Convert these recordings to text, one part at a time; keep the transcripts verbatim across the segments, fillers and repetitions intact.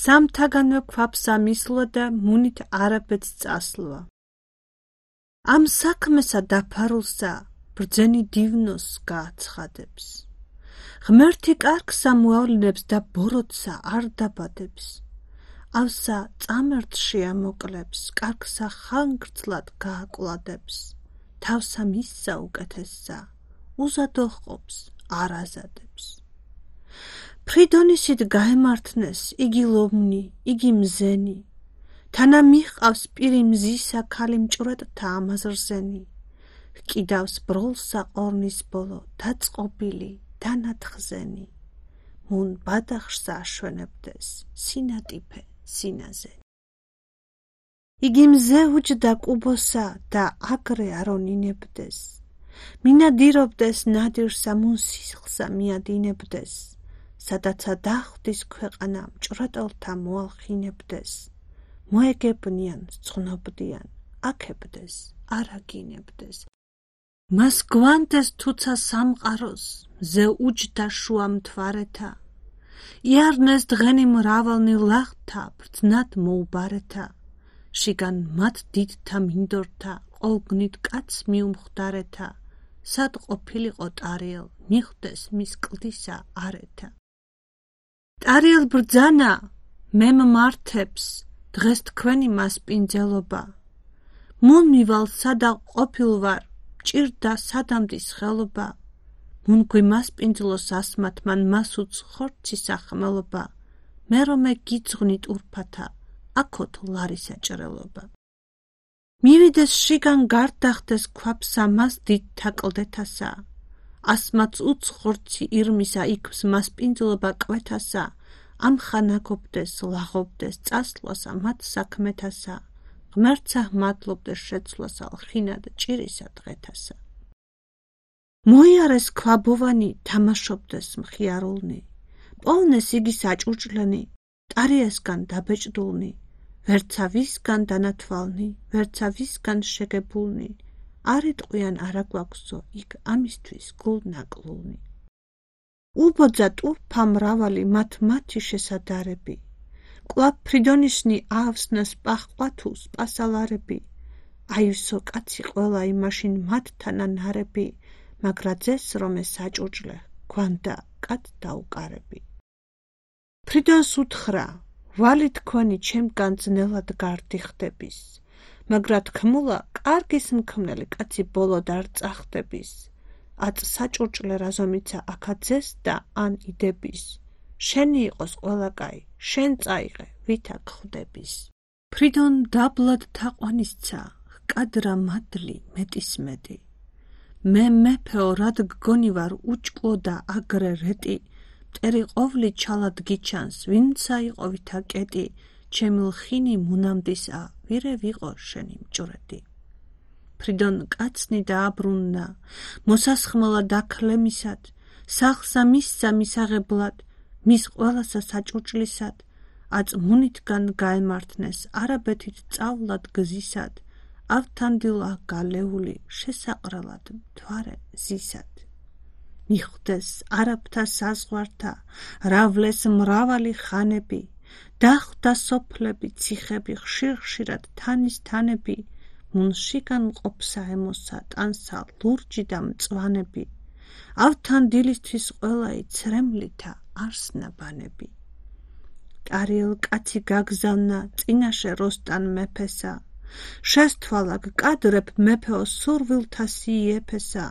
სამთაგანვე ქვაფსა მისლვა და მუნით არაბეთს წასლვა. ამ საქმესა დაფარულსა ბრძენი დივნოს გააცხადებს. ღმერთი კარგსა მოავლინებს და ბოროტსა არ დაბადებს. ავსა წამერთში ამოკლებს, კარგსა ხანგრძლად გააკლადებს. თავსა მისსა უკეთესსა, უზადო ჰყოფს, არ აზადებს. ფრიდონისით გაემართნეს, იგი ლომნი, იგი მზენი. თანა მიჰყავს პირი მზისა ქალი მჭვრეტთა ამაზრზენი. ჰკიდავს ბროლსა ყორნის ბოლო, დაწყობილი, დანათხზენი. მუნ ბადახშსა აშვენებდეს, სინატიფე, სინაზე. იგი მზე უჯდა კუბოსა და აგრე არონინებდეს. მინადირობდეს ნადირსა მუნ სისხლსა მიადინებდეს. სადაცა დახვდის ქვეყანა მჭვრეტელთა მოალხინებდეს. მოეგებნიან, ზღნობდიან, აქებდეს, არაგინებდეს. მას გვანდეს თუცა სამყაროს, მზე უჯდა შუა მთვარეთა. იარნეს დღენი მრავალნი ლაღთა, ბრძნად მოუბარეთა. შიგან მათ დიდთა მინდორთა, ყოლგნით კაც მიუმხდარეთა. სად ყოფილიყო ტარიელ, მიხვდეს მის კლდისა არეთა. ტარიელ ბრძანა, მემ მართებს, დღეს თქვენი მასპინძელობა. მუნ მივალ სადა ყოფილვარ, ჭირდა სადამდის ხელობა. მუნ გვიმასპინძლოს ასმათ მან მასუც ხორცისა ხმელობა. მე რომე გიძღვნით ურფათა, აქოთ ლარისა ჭრელობა. მივიდეს შიგან გარდახდეს ქვაფსა მას დიდთა კლდეთასა. ასმაც უც ხორცი ირმისა იქვს მასპინძლობა კვეთასა. ამხანაგობდეს, ლაღობდეს, წასვლასა მათ საქმეთასა. ღმერთსა მადლობდეს შეცვლასა, ლხინად ჭირისა დღეთასა. მოიარეს ქვაბოვანი, თამაშობდეს მხიარულნი. პოვნეს იგი საჭურჭლენი, ტარიესგან დაბეჭდულნი. ვერცა ვისგან დანათვალნი, ვერცა ვისგან შეგებულნი. არ იტყვიან არა გვაქვსო, იქ ამისთვის გულ ნაკლულნი. უბოძა ტურფა მრავალი მათ მათი შესადარები. კვლავ ფრიდონიშნი აავსნას პაჰყვათუ სპასალარები. აივსო კაცი ყველა იმაშინ მათთან ანარები. მაგრა ძეს რომე საჭურჭლე, გვანდა კაც დაუკარები. ფრიდონს უთხრა, ვალი თქვენი ჩემგან ძნელად გარდიხდების. მაგრა თქმულა, კარგის მქმნელი კაცი ბოლოდ არ წახდების. აწ საჭურჭლე რაზომიცა აქაძეს და ან იდების. შენი იყოს ყველა კაი, შენ წაიღე, ვითა გხვდების. ფრიდონ დაბლად თაყვანისცა, ჰკადრა მადლი მეტის მეტი. მე მეფეო რად გგონი ვარ უჭკუო და აგრე რეტი. მტერი ყოვლი ჩალად გიჩანს, ვინცა იყო ვითა კეტი. ჩემი ლხინი მუნამდისა, ვირე ვიყო შენი მჭვრეტი. ფრიდონ კაცნი დააბრუნნა, მოსასხმელა დაქლემისად. სახლსა მისსა მისაღებლად, მის ყველასა საჭურჭლისად. აწ მუნითგან გაემართნეს, არაბეთით წავლად გზისად. ავთანდილა გალეული, შესაყრელად მთვარე ზისად. მიხვდეს არაბთა საზღვართა, ავლეს მრავალი ხანები. დახვდა სოფლები, ციხები, ხშირ-ხშირად თანის თანები. მუნ შიგან ყოფსა ემოსა, ტანსა ლურჯი და მწვანები. ავთანდილისთვის ყველაი ცრემლითა არსნაბანები. ტარიელ კაცი გაგზავნა, წინაშე როსტან მეფესა. შესთვალა გკადრებ მეფეო სურვილთა სიეფესა.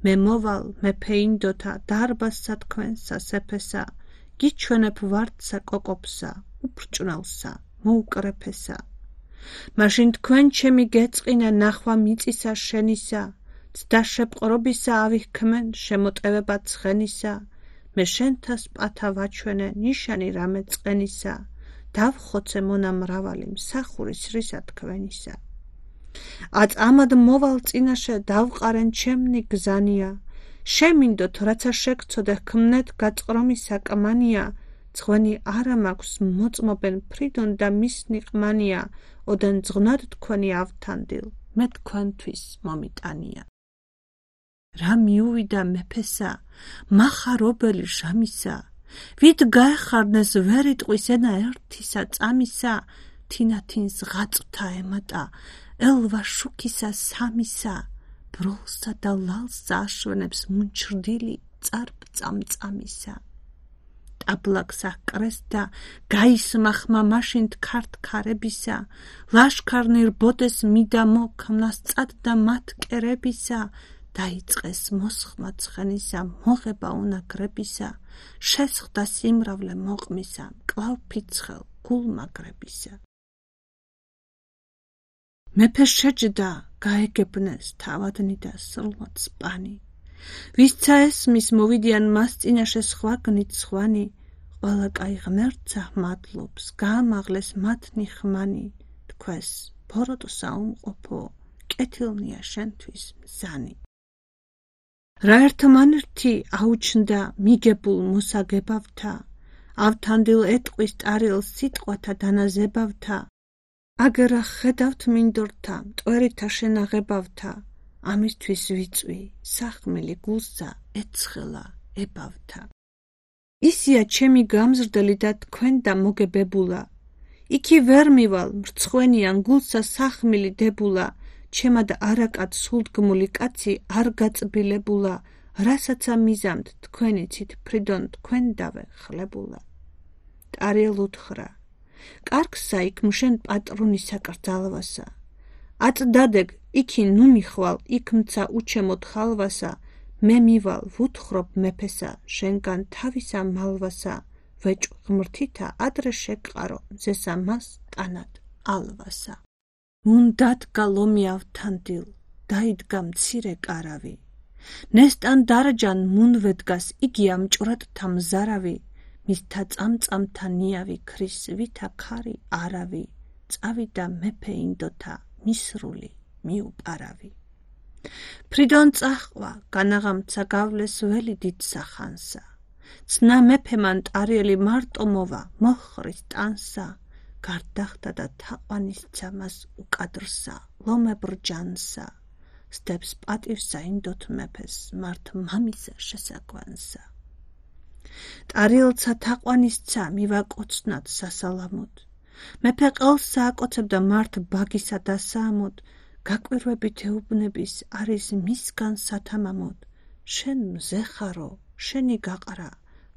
მე მოვალ მეფე ინდოთა, დარბაზსა თქვენსა სეფესა. გიჩვენებ ვარდსა კოკობსა, უფრჭვნელსა, მოუკრეფესა. მაშინ თქვენ ჩემი გეწყინა ნახვა მიწისა შენისა. ცდა შეპყრობისა ავიჰქმენ, შემოტევება ცხენისა. მე შენთას პათა ვაჩვენე, ნიშანი რამე წყენისა. დავხოცე მონა მრავალი, მსახურის რისა თქვენისა. აწ ამად მოვალ წინაშე, დავყარენ ჩემნი გზანია. შემინდოთ, რაცა შეგცოდე ჰქმნეთ გაწყრომისა კმანია. ძღვენი არა მაქვს, მოწმობენ ფრიდონ და მისნი ყმანია. ოდენ ძღვნად თქვენი ავთანდილ, მე თქვენთვის მომიტანია. რა მიუვიდა მეფესა, მახარობელი ჟამისა. ვით გაეხარნეს ვერ იტყვის ენა ერთისა წამისა, თინათინს ღაწვთა ემატა, ელვა შუქისა სამისა, ბროლსა და ლალსა აშვენებს მუნჩრდილი წარბ წამწამისა. ტაბლაკს აკრესდა, გაისმახმა მაშინთ ქართ ქარებისა, ლაშქარნი რბოდეს მიდა მოქმნას წადდა მათ კერებისა, დაიწყეს მოსხმა ცხენისა, მოღება უნაგრებისა, შესხდა სიმრავლე მოყმისა, მკლავ ფიცხელ გულმაგრებისა. მეფე შეჯდა, გაეგებნეს თავადნი და სრულად სპანი. ვისცა ესმის მოვიდიან მას წინაშე სხვაგნით სხვანი, ყველა კაი ღმერთსა მადლობს, გაამაღლეს მათნი ხმანი, თქვეს ბოროტ საუმყოფო, კეთილნია შენთვის მზანი. რა ერთმანერთი აუჩნდა მიგებულ მოსაგებავთა, ავთანდილ ეტყვის ტარიელს სიტყვათა დანაზებავთა, აგერა ხედავთ მინდორთა, მტვერითა შენაღებავთა, ამისთვის ვიწვი, სახმელი გულსა ეცხელა ებავთა. ისია ჩემი გამზრდელი და თქვენ და მოგებებულა, იქი ვერ მივალ, მრცხვენიან გულსა სახმილი დებულა, ჩემა და არაკად სულდგმული კაცი არ გაწბილებულა, რასაცა მიზამთ თქვენიცით ფრიდონ თქვენდავე ხლებულა. ტარიელ უთხრა, კარგსა იქ მშენ პატრონისა კრძალვასა, აწდადეგ იქი ნუ მიხვალ, იქ მცა უჩემოთ ხალვასა, მე მივალ ვუთხრობ მეფესა, შენგან თავისა მალვასა, ვეჭვ ღმრთითა ადრე შეგყარო, მზესა მას ტანად ალვასა. უნდათ გალომი ავთანდილ, დაიდგა მცირე კარავი, ნესტან დარჯან მუნვედგას იგი ამჭვრატთა მზარავი, მისთა წამწამთა ნიავი ქრის ვითა ქარი არავი, წავიდა მეფე ინდოთა მისრული მიუპარავი. ფრიდონ წაჰყვა, განაღამცა გავლეს ველი დიდსა ხანსა, ცნა მეფემან ტარიელი მარტო მოვა, მოჰყრის ტანსა, გარდახდა და თაყვანისცა მას უკადრსა, ლომებრ ჯანსა, სდებს პატივსა ინდოთ მეფეს, მართ მამისა შესაგვანსა. ტარიელცა თაყვანისცა მივაკოცნად სასალამოდ, მეფე ყელსა აკოცებდა მართ ბაგისა და საამოდ, გაკვირვებით ეუბნების არის მისგან სათამამოდ, შენ მზეხარო, შენი გაყრა,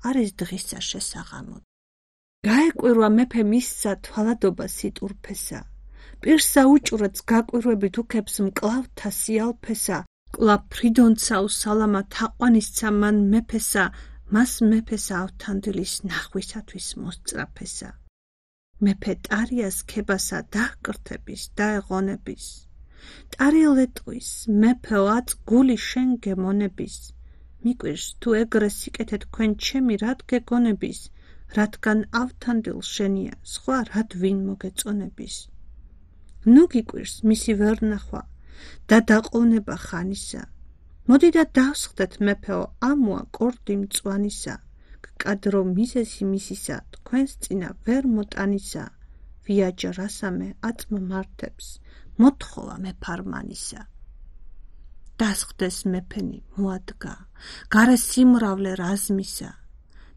არის დღისა შესაღამოდ. გაეკვირვა მეფე მისსა თვალადობა სიტურფესა, პირსა უჭვრეთს გაკვირვებით უქებს მკლავთა სიალფესა, კვლავ ფრიდონცა უსალამა თაყვანისცა მან მეფესა, მას მეფესა ავთანდილის ნახვისათვის მოსწრაფესა. მეფე ტარიას ქებასა დაჰკრთების, დაეღონების, ტარიელ ეტყვის, მეფეო აწ გული შენ გემონების, მიკვირს თუ ეგრე სიკეთე თქვენ ჩემი რად გეგონების, რადგან ავთანდილ შენია, სხვა რად ვინ მოგეწონების. ნუ გიკვირს მისი ვერ ნახვა და დაყოვნება ხანისა, მოდი და დავსხდეთ მეფეო ამოა კორდი მწვანისა, გკადრო მიზეზი მისისა, თქვენს წინა ვერ მოტანისა, ვიაჯა რასამე აწმ მართებს, მოთხოვა მეფარმანისა. დასხდეს მეფენი მოადგა, გარე სიმრავლე რაზმისა,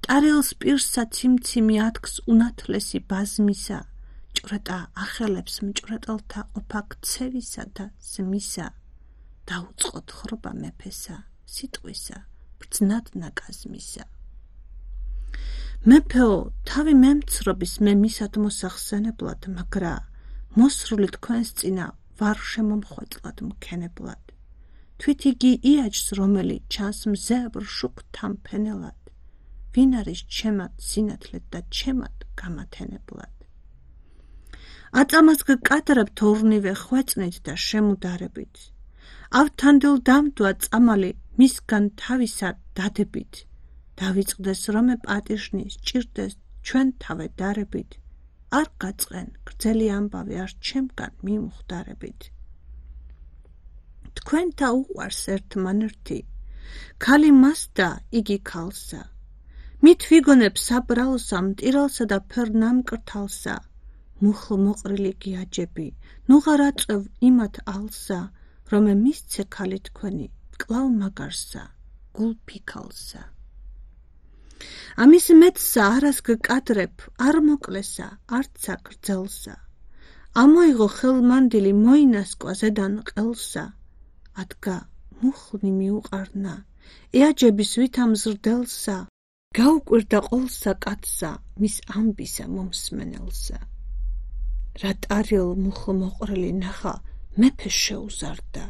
ტარიელს პირსა ციმციმი ათქს უნათლესი ბაზმისა, ჭვრეტა ახელებს მჭვრეტელთა ყოფა ქცევისა და ზმისა, დაუწყოთ ხრობა მეფესა, სიტყვისა, ბრძნად ნაკაზმისა. მეფეო, თავი მემცრობის მე მისად მოსახსენებლად, მაგრა მოსრული თქვენს წინა ვარ შემომხვეწლად მქენებლად. თვით იგი იაჯს, რომელი ჩანს მზებრ შუქთან ფენელად, ვინ არის ჩემად სინათლედ და ჩემად გამათენებლად. აწამას გკადრებთ ორნივე ხვეწნით და შემუდარებით, ავთანდილ დამდვა წამალი მისგან თავისა დადებით, დავიწყდეს რომე პატიშნის, ჭირდეს ჩვენ თავე დარებით, არ გაწყენ გრძელი ამბავი არ ჩემგან მიმხვდარებით. თქვენთა უყვარს ერთმანერთი, ქალი მას და იგი ქალსა, მით ვიგონებ საბრალსა, მტირალსა და ფერნამკრთალსა, მუხლ მოყრილი გიაჯები, ნუღარ აწევ იმათ ალსა, რომე მისცე ქალი თქვენი, კლავ მაგარსა, გულ ფიქალსა. ამის მეტსა არას გკადრებ, არ მოკლესა, არცა გრძელსა. ამოიღო ხელმანდილი, მოინასკვა ზედან ყელსა. ადგა მუხლი მიუყარნა, ეაჯების ვითამ ზრდელსა. გაუკვირდა ყოლსა კაცსა, მის ამბისა მომსმენელსა. რა ტარიელ მუხლ მოყრილი ნახა, მეფეს შეუზარდა.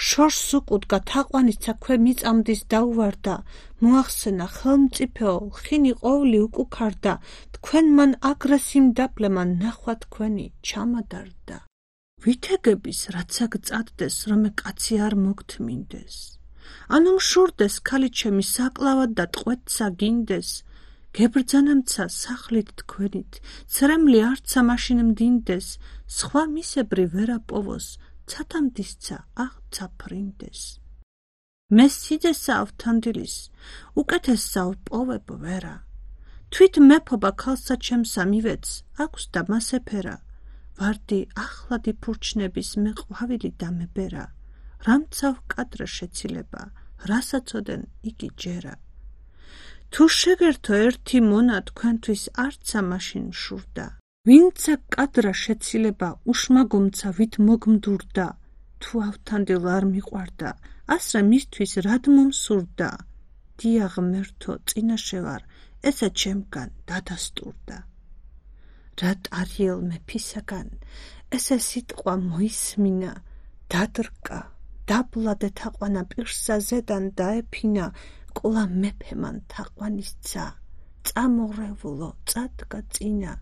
შორს უკუდგა თაყვანიცა ქვე მიწამდის დაუვარდა. მოახსენა ხელმწიფეო, ხინი ყოვლი უკუქარდა. თქვენ მან აგრესიმ დაბლემა ნახვა თქვენი ჩამადარდა. ვითეგების რაც აქ წადდეს, რომე კაცი არ მოგთმინდეს. ანუ მშურდეს ქალი ჩემი საკლავად და ტყვეთსა გინდეს. გებრძანამცა სახლით თქვენით, ცრემლი არცა მაშინ მდინდეს. სხვა მისებრი ვერა პოვოს, ცათამდისცა აღცა ფრინდეს. მე სიძესა ავთანდილის, უკეთესსა ვპოვებ ვერა. თვით მეფობა ქალსა ჩემსა მივეც, აქვს და მასეფერა. ვარდი ახლადი ფურჩნების მე ყვავილი დამებერა. რამცა ვკადრე შეცილება, რასაცოდენ იგი ჯერა. თუ შეგერთო ერთი მონა თქვენთვის არცა მაშინ მშურდა. ვინცა კადრა შეცილება, უშმაგომცა ვით მოგმდურდა. თუ ავთანდილ არ მიყვარდა, ასრე მისთვის რად მომსურდა. დია ღმერთო, წინაშე ვარ, ესა ჩემგან დადასტურდა. რა ტარიელ მეფისაგან, ესე სიტყვა მოისმინა. დადრკა, დაბლადე თაყვანა პირსა ზედან დაეფინა. ყოლა მეფემან თაყვანისცა, წამორევულო წადგა წინა.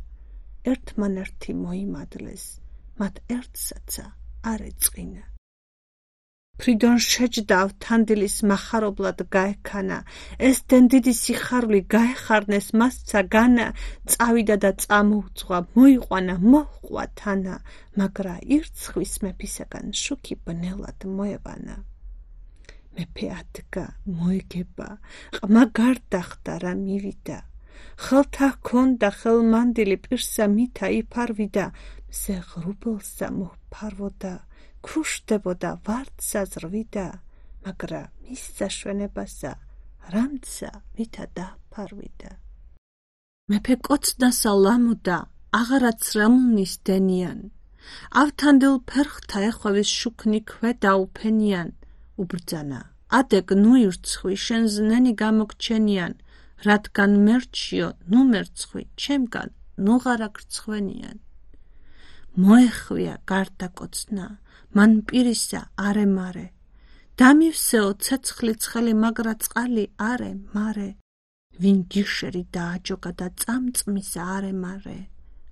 ერთმანერთი მოიმადლეს, მათ ერთსაცა არ ეწყინა. ფრიდონ შეჯდა ავთანდილის მახარებლად გაექანა. ეს დენდიდი სიხარული გაეხარნეს მასცა განა. წავიდა და წამოუძღვა, მოიყვანა, მოჰყვა თანა. მაგრა ირცხვის მეფისაგან შუქი ბნელად მოევანა. მეფე ადგა, მოეგება, ყმა გარდახდა რა მივიდა. ხელთა ჰქონდა ხელმანდილი, პირსა მითა იფარვიდა. მზე ღრუბელსა მოჰფარვოდა, ქუშდებოდა ვარდსა ზრვიდა. მაგრა მის საშვენებასა, რამცა ვითა დაფარვიდა. მეფე კოცდასა ლამოდა, აღარაც რამლნის დენიან. ავთანდილ ფერხთა ეხვევის შუქნი ქვე დაუფენიან. უბრძანა, ადეკ ნუ ირცხვი, შენ ზნენი გამოგჩენიან. რადგან მერჩიო, ნუ მერცხვი, ჩემგან ნუღარა გრცხვენიან. მოეხვია გარდა კოცნა, მან პირისა არე მარე. დამივსეო ცეცხლი ცხელი, მაგრა წყალი არე მარე. ვინ გიშერი დააჯოგა და წამწმისა არე მარე.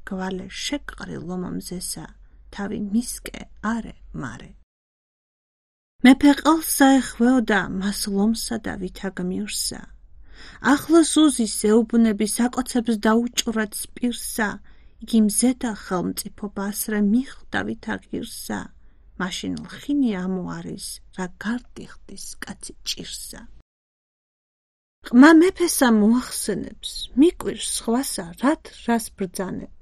გვალე შეკყრი ლომამზესა, თავი მისკე არე მარე. მეფე ყელსა ეხვეოდა, მას ლომსა და ვითაგმირსა. ახლა სუზის ეუბნები საკოცებს დაუჭვრეთს პირსა. იგი მზედა ხელმწიფობა ასრე მიხვდა ვითა ღირსა. მაშინ ლხინი ამოარის, რა გარდიხდის კაცი ჭირსა. ყმა მეფესა მოახსენებს, მიკვირს სხვასა, რად რას ბრძანებ.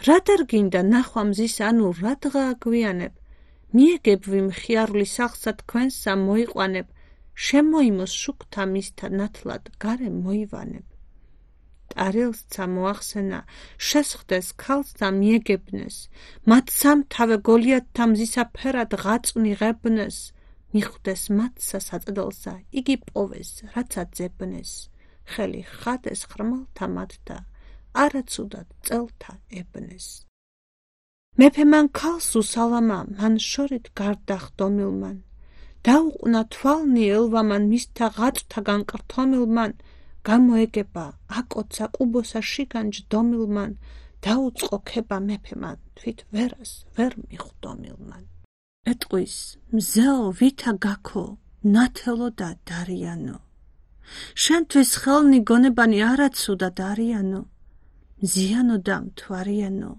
რად არ გინდა ნახვა მზის, ანუ რადღა აგვიანებ. მიეგებ ვიმ ხიარული სახლსა თქვენსა მოიყვანებ. შემოიმოს შუქთა მისთა ნათლად გარე მოივანებ. ტარიელსცა მოახსენა, შესხდეს ქალსა მიეგებნეს. მათ სამთავე გოლიათთა მზისა ფერად ღაწვნი ღებნეს. მიხვდეს მათსა საწედელსა, იგი პოვეს, რაცა ძებნეს. ხელი ხადეს ხრმალთა მათთა, არაცუდად წელთა ებნეს. მეფე მან ქალს უსალამა, მან შორით გარდახდომილმან. დაუყნა თვალნი ელვამან, მისთა ღაწვთაგან კრთომილმან. გამოეგება, აკოცა ყუბოსა შიგან ჯდომილმან. დაუწყო ქება მეფემან, თვით ვერას ვერ მიხვდომილმან. ეტყვის, მზეო ვითა გაქო, ნათელო და დარიანო. შენთვის ხელნი გონებანი არაცუდა დარიანო. მზიანო და მთვარიანო,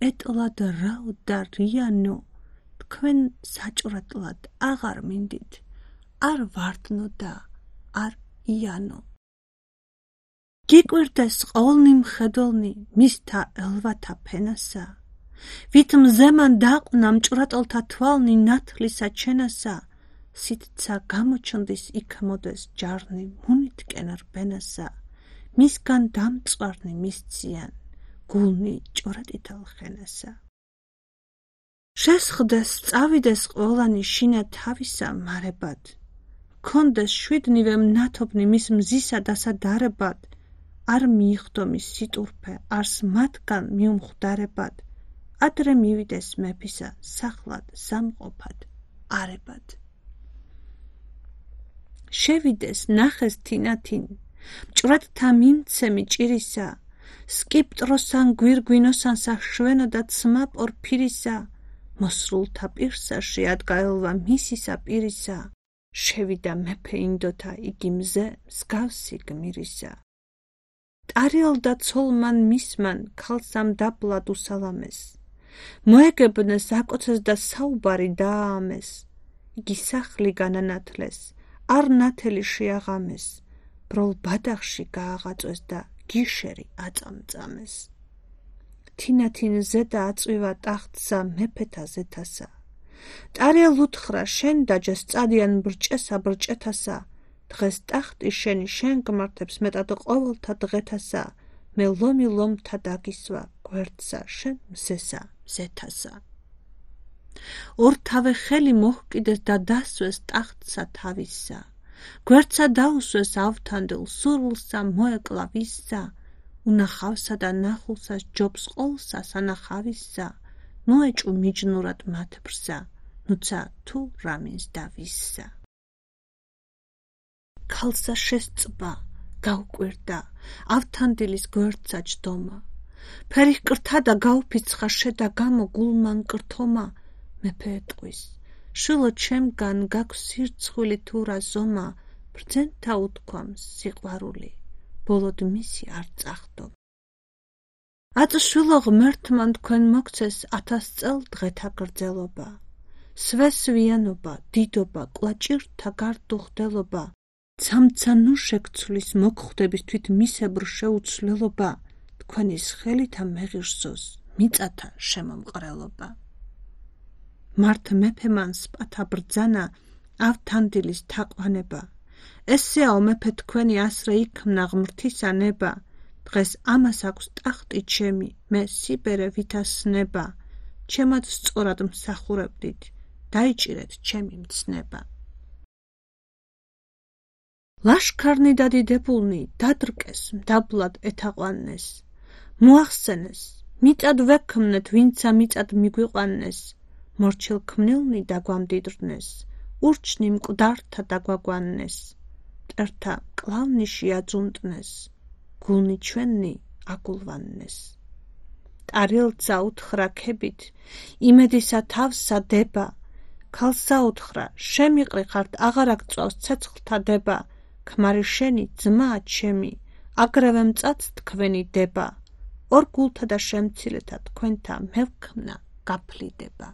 ეტლად რაო და რიანო. თქვენ საჭვრატლად აღარ მინდით, არ ვარდნო და არ იანო. გიკვირდეს ყოლნი მხედველნი, მისთა ელვათა ფენასა. ვით მზემან დაყნა მჭვრატელთა თვალნი ნათლისა ჩენასა. სიტცა გამოჩნდის იქ მოდეს ჯარნი, მუნით კენარ ბენასა. მისგან დამწვარნი მისციან, გულნი ჭორატითალ ხენასა. შესხდეს წავიდეს ყველანი შინა თავისა მარებად, კონდეს შვიდნივე მნათობნი მის მზისა დასადარებად, არ მიიხდო მის სიტურფე, არს მათგან მიუმხვდარებად, ადრე მივიდეს მეფისა სახლად სამყოფად არებად. შევიდეს ნახეს თინათინ, მჭვრეთთა მიმცემი ჭირისა, სკიპტროსან გვირგვინოსანსა შვენოდა ცმა პორფირისა, მოსრულთა პირსა შეადგა ელვა მისისა პირისა, შევიდა მეფე ინდოთა იგი მზე მსგავსი გმირისა. ტარიელდა ცოლმან მისმან ქალსამ დაბლად უსალამეს, მოეგებნეს აკოცეს და საუბარი დააამეს, იგი სახლი განანათლეს, არ ნათელი შეაღამეს, ბროლ ბადახში გააღაწვეს და გიშერი აწამწამეს. თინათინ ზედა აწვივა ტახტსა მეფეთა ზეთასა, ტარიელ უთხრა შენ დაჯეს წადიან ბრჭესა ბრჭეთასა, დღეს ტახტი შენი შენ გმართებს მეტად ყოველთა დღეთასა, მე ლომი ლომთა დაგისვა გვერდსა შენ მზესა მზეთასა. ორთავე ხელი მოჰკიდეს და დასვეს ტახტსა თავისა, გვერდსა დაუსვეს ავთანდილ სურვილსა მოეკლა ვისსა, უნახავსა და ნახულსა ჯობს ყოლსა სანახავისსა, მოეჭუ მიჯნურად მათ ბრსა, ნუცა თუ რამინს და ვისსა. ქალსა შესწბა, გაუკვირდა, ავთანდილის გვერდსა ჯდომა, ფერი ჰკრთა და გაუფიცხა შედა გამო გულმა მკრთომა, მეფე ეტყვის, შვილო ჩემგან გაქვს სირცხვილი თუ რა ზომა, ბრძენთა უთქვამს სიყვარული, ბოლოდ მისი არ წახდო. აწშვილო ღმერთმან თქვენ მოგცეს ათას წელ დღეთა გრძელობა, სვესვიანობა, დიდობა, კვაჭირთა გარდუხდელობა, ცამცა ნუ შეგცვლის მოგხვდების თვით მისებრ შეუცვლელობა, თქვენის ხელითა მეღირსოს მიწათა შემომყრელობა. მართ მეფემან სპათა ბრძანა ავთანდილის თაყვანება, ესეაო მეფე თქვენი ასრე იქმნა ღმრთისა ნება, დღეს ამას აქვს ტახტი ჩემი, მე სიბერე ვითასნება, ჩემად სწორად მსახურებდით, დაიჭირეთ ჩემი მცნება. ლაშქარნი და დიდებულნი დადრკეს მდაბლად ეთაყვანეს, მოახსენეს, მიწად ვექმნეთ ვინცა მიწად მიგვიყვანეს, მორჩილ ქმნილნი დაგვამდიდრნეს, ურჩნი მკვდართა დაგვაგვანეს, მტერთა მკლავნი შეაძუნტნეს, გულნი ჩვენი აგულვანნეს. ტარიელცა უთხრა ქებით, იმედისა თავსა დება, ქალსა უთხრა, შემიყრი ხართ აღარ აგწვავს ცეცხლთა დება, ქმარი შენი ძმაა ჩემი, აგრევე მწაც თქვენი დება, ორ გულთა და შემცირეთა თქვენთა მევქმნა გაფლიდება.